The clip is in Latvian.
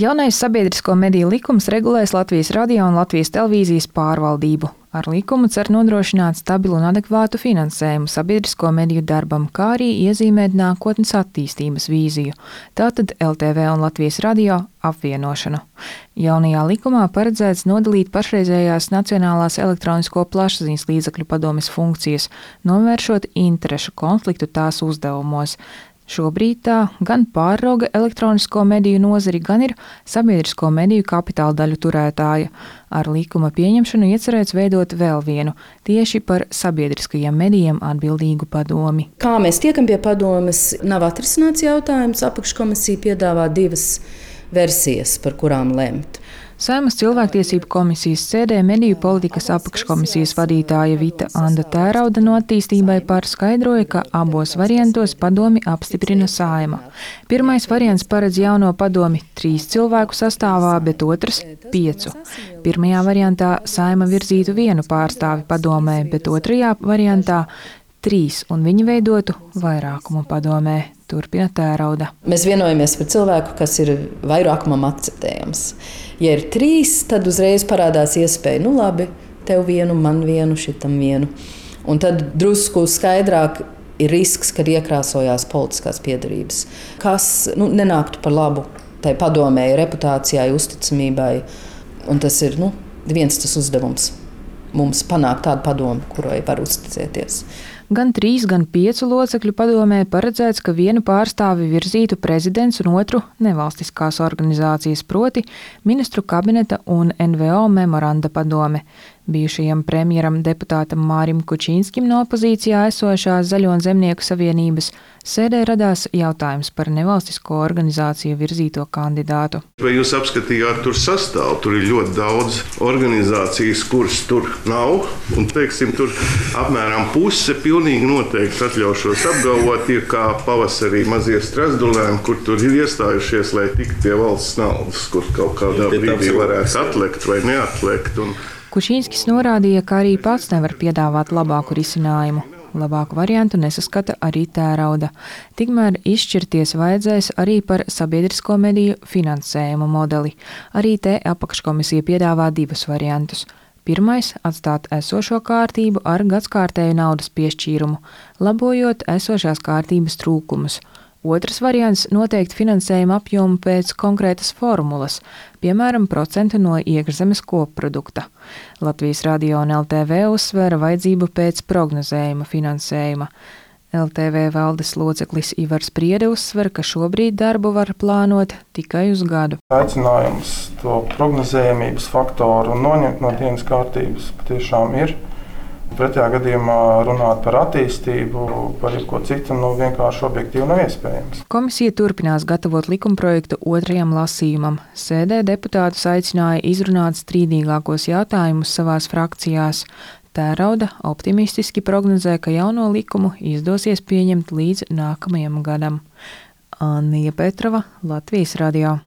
Jaunais sabiedrisko mediju likums regulēs Latvijas radio un Latvijas televīzijas pārvaldību. Ar likumu cer nodrošināt stabilu un adekvātu finansējumu sabiedrisko mediju darbam, kā arī iezīmēt nākotnes attīstības vīziju, tātad LTV un Latvijas radio apvienošanu. Jaunajā likumā paredzēts nodalīt pašreizējās Nacionālās elektronisko plašsaziņas līdzekļu padomes funkcijas, novēršot interešu konfliktu tās uzdevumos. Šobrīd tā gan pārauga elektronisko mediju nozari, gan ir sabiedrisko mediju kapitāla daļu turētāja. Ar likuma pieņemšanu iecerēts veidot vēl vienu, tieši par sabiedriskajiem medijiem atbildīgu padomi. Kā mēs tiekam pie padomes, nav atrisināts jautājums. Apakškomisija piedāvā 2 versijas, par kurām lemt. Saeimas cilvēktiesību komisijas sēdē mediju politikas apakškomisijas vadītāja Vita Anda Tērauda no Attīstībai par skaidroja, ka abos variantos padomi apstiprina Saeima. Pirmais variants paredz jauno padomi 3 cilvēku sastāvā, bet otrs 5. Pirmajā variantā Saeima virzītu 1 pārstāvi padomē, bet otrajā variantā 3, un viņi veidotu vairākumu padomē. Turpina Tērauda. Mēs vienojamies par cilvēku, kas ir vairākumam akceptējams. Ja ir 3, tad uzreiz parādās iespēja, labi, tev 1, man 1, šitam 1. Un tad drusku skaidrāk ir risks, kad iekrāsojās politiskās piedarības, kas nenāktu par labu tai padomēji, reputācijai, uzticamībai. Un tas ir viens tas uzdevums mums panākt tādu padomu, kurai var uzticēties. Gan 3, gan 5 locekļu padomē paredzēts, ka 1 pārstāvi virzītu prezidents un otru nevalstiskās organizācijas, proti ministru kabineta un NVO memoranda padome. Bijušajam premjeram deputātam Mārim Kučīnskim no opozīcijā esošās Zaļo un Zemnieku savienības sēdē radās jautājums par nevalstisko organizāciju virzīto kandidātu. Vai jūs apskatījāt tur sastāvu? Tur ir ļoti daudz organizācijas, kuras tur nav. Un, tur apmēram puse pilnīgi noteikti atļaušos apgalvot, ir kā pavasarī mazie strazdulēni, kur tur ir iestājušies, lai tiktu pie valsts naudas, kur kaut kādā brīdī varētu atlekt vai neatlekt. Kučīnskis norādīja, ka arī pats nevar piedāvāt labāku risinājumu. Labāku variantu nesaskata arī Tērauda. Tikmēr izšķirties vajadzēs arī par sabiedrisko mediju finansējumu modeli. Arī te apakškomisija piedāvā 2 variantus. Pirmais – atstāt esošo kārtību ar gadskārtēju naudas piešķīrumu, labojot esošās kārtības trūkumus. Otrs variants – noteikt finansējuma apjomu pēc konkrētas formulas, piemēram, procentu no iekšzemes kopprodukta. Latvijas radio un LTV uzsvēra vajadzību pēc prognozējuma finansējuma. LTV valdes loceklis Ivars Priede uzsver, ka šobrīd darbu var plānot tikai uz gadu. Aicinājums to prognozējamības faktoru noņemt no dienas kārtības patiešām ir. Pretējā gadījumā runāt par attīstību, par jebko citu, vienkārši objektīvi nav iespējams. Komisija turpinās gatavot likumprojektu 2. lasījumam. Sēdē deputātus aicināja izrunāt strīdīgākos jautājumus savās frakcijās. Tērauda optimistiski prognozē, ka jauno likumu izdosies pieņemt līdz nākamajam gadam. Annija Petrova, Latvijas radio.